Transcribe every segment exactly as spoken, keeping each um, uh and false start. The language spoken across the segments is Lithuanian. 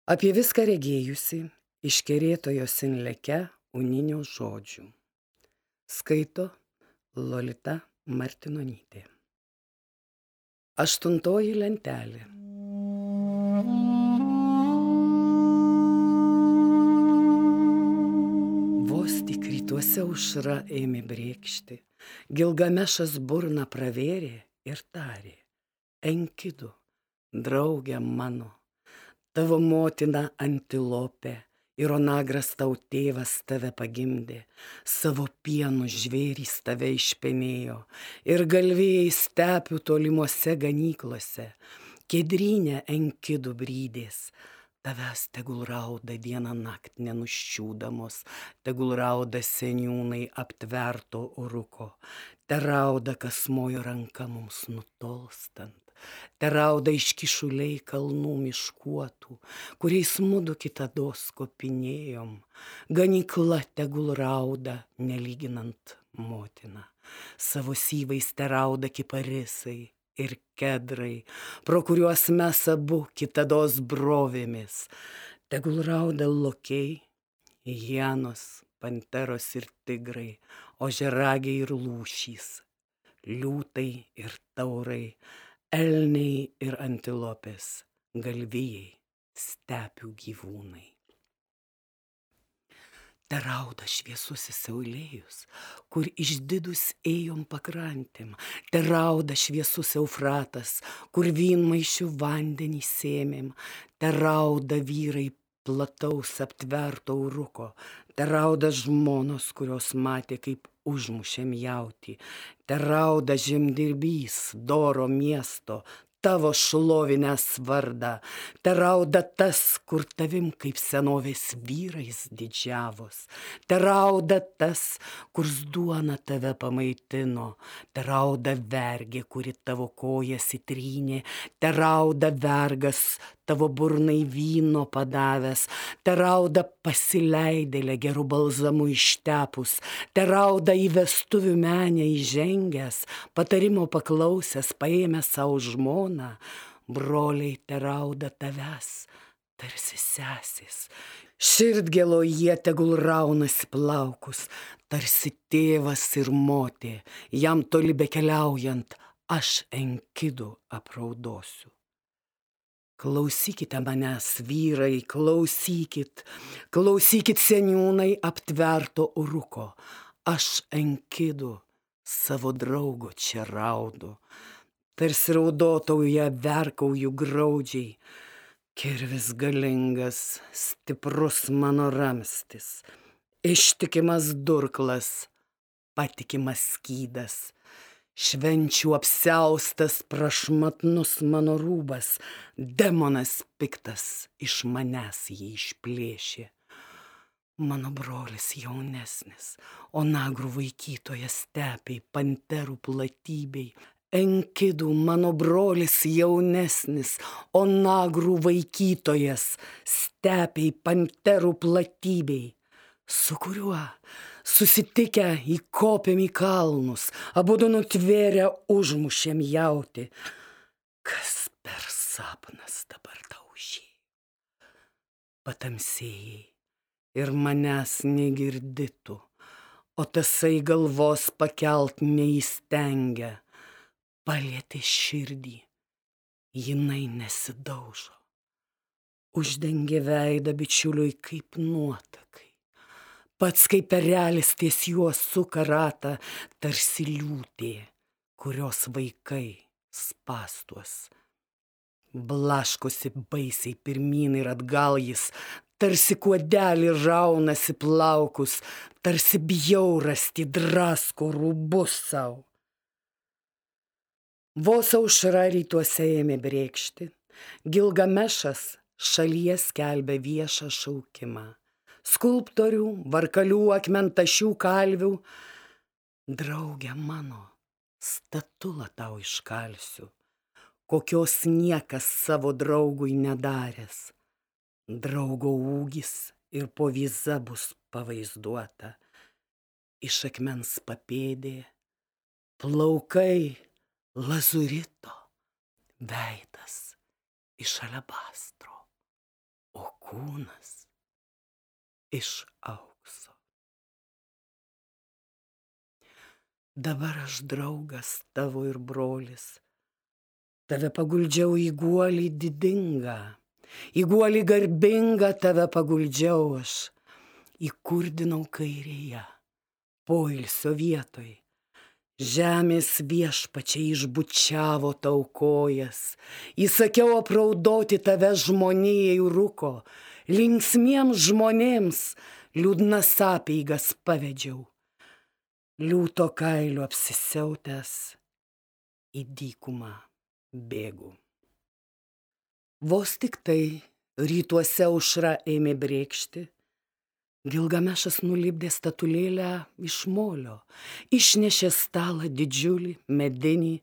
Apie viską regėjusi iškerėtojo Sinleke uninio žodžių. Skaito Lolita Martinonytė. Aštuntoji lentelė. Vos tik rytuose aušra ėmė brėkšti, Gilgamešas burną pravėrė ir tarė: Enkidu, draugė mano, tavo motina antilopė ir onagras tau tėvas tave pagimdė, savo pienu žvėrys tave išpenėjo ir galvėjai stepių tolimuose ganyklose, Kedrynė Enkidų brydės. Tavęs tegul rauda dieną nakt nenuščiūdamos, tegul rauda seniūnai aptverto uruko, te rauda kas mojo ranka mums nutolstant, te rauda iškišuliai kalnų miškuotų, kuriais mudu kitados kopinėjom, ganykla tegul rauda nelyginant motiną, savo syvais te rauda kiparisai ir kedrai, pro kuriuos mes abu kitados brovėmis, tegul rauda lokiai, hienos, panteros ir tigrai, ožiaragiai ir lūšys, liūtai ir taurai, elniai ir antilopės, galvijai, stepių gyvūnai. Te rauda šviesusis Saulėjus, kur išdidus ėjom pakrantėm, te rauda šviesus Eufratas, kur vynmaišių vandenį sėmėm, te rauda vyrai plataus aptverto uruko, te rauda žmonos, kurios matė, kaip užmušėm jautį, te rauda žemdirbys doro miesto, tavo šlovinęs vardą, te rauda tas, kur tavim kaip senovės vyrais didžiavos, te rauda tas, kurs duona tave pamaitino, te rauda vergė, kuri tavo kojas įtrynė, te rauda vergas, tavo burnai vyno padavęs, te rauda pasileidėlė gerų balzamų ištepus, te rauda į vestuvių menę įžengęs, patarimo paklausęs, paėmęs savo žmoną, broliai te rauda tavęs, tarsi sesės, širdgėlo jie tegul raunasi plaukus, tarsi tėvas ir motė, jam toli bekeliaujant, aš Enkidų apraudosiu. Klausykite manęs, vyrai, klausykit, klausykit seniūnai aptverto uruko, aš Enkidų savo draugo čia raudu, tarsi raudotauja verkauju graudžiai, kirvis galingas, stiprus mano ramstis, ištikimas durklas, patikimas skydas, švenčių apsiaustas prašmatnus mano rūbas, demonas piktas iš manęs jį išplėšė. Mano brolis jaunesnis, onagrų vaikytojas stepiai, panterų platybei, Enkidų mano brolis jaunesnis, onagrų vaikytojas stepiai, panterų platybei, su kuriuo susitikę įkopėm į kalnus, abudu nutvėrę užmušėm jautį. Kas per sapnas dabar tau užėjo? Patamsėjai ir manęs negirditų, o tasai galvos pakelt neįstengia, palietė širdį, jinai nesidaužo, uždengė veidą bičiuliui kaip nuotakai. Pats kaip erelis ties juo suka ratą, tarsi liūtė, kurios vaikai spąstuos. Blaškosi baisiai pirmyn ir atgal jis, tarsi kuodelį raunasi plaukus, tarsi bjaurastį drasko rūbus sau. Vos aušra rytuose ėmė brėkšti, Gilgamešas šalyje skelbė viešą šaukimą. Skulptorių, varkalių, akmentašių kalvių, drauge mano, statulą tau iškalsiu, kokios niekas savo draugui nedaręs. Draugo ūgis ir povyza bus pavaizduota, iš akmens papėdė, plaukai lazurito, veidas iš alebastro, o kūnas iš aukso. Dabar aš draugas tavo ir brolis, tave paguldžiau į guolį didingą, į guolį garbingą tave paguldžiau aš, įkurdinau kairėje, poilsio vietoj. Žemės viešpačiai išbučiavo tau kojas, įsakiau apraudoti tave žmonijai rūko, linksmiems žmonėms liūdnas apeigas pavedžiau, liūto kailiu apsisiautęs į dykumą bėgu. Vos tik tai rytuose aušra ėmė brėkšti, Gilgamešas nulipdė statulėlę iš molio, išnešė stalą didžiulį, medinį,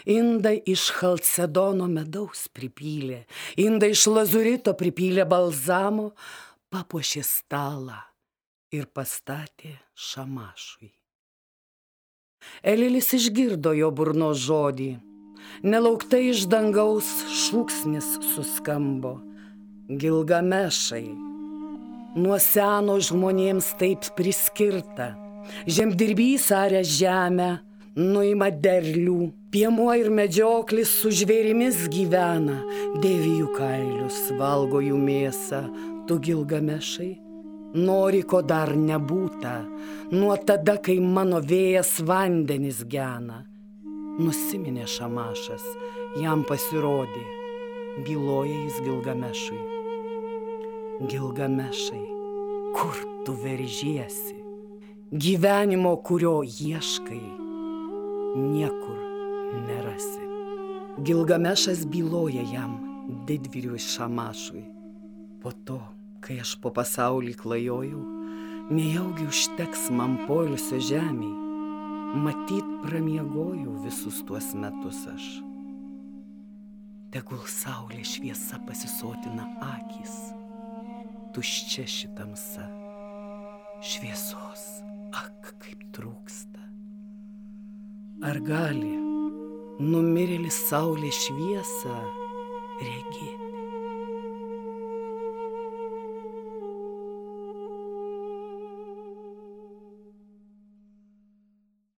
indą iš chalcedono medaus pripylė, indą iš lazurito pripylė balzamo, papuošė stalą ir pastatė Šamašui. Elilis išgirdo jo burnos žodį, nelauktai iš dangaus šūksnis suskambo: Gilgamešai, nuo seno žmonėms taip priskirta, žemdirbys aria žemę, nuima derlių, piemuo ir medžioklis su žvėrimis gyvena, dėvi jų kailius, valgo jų mėsą. Tu, Gilgamešai, nori, ko dar nebūta, nuo tada, kai mano vėjas vandenis gena. Nusiminė Šamašas, jam pasirodė, byloja jis Gilgamešui: Gilgamešai, kur tu veržiesi? Gyvenimo, kurio ieškai, niekur nerasi. Gilgamešas byloja jam, didvyriui Šamašui: po to, kai aš po pasaulį klajojau, nejaugi užteks man poilsio žemėj, matyt pramiegojau visus tuos metus aš. Tegul saulės šviesa pasisotina akys, tuščia ši tamsa, šviesos, ak, kaip trūksta. Ar gali numirėlis saulės šviesą regėti?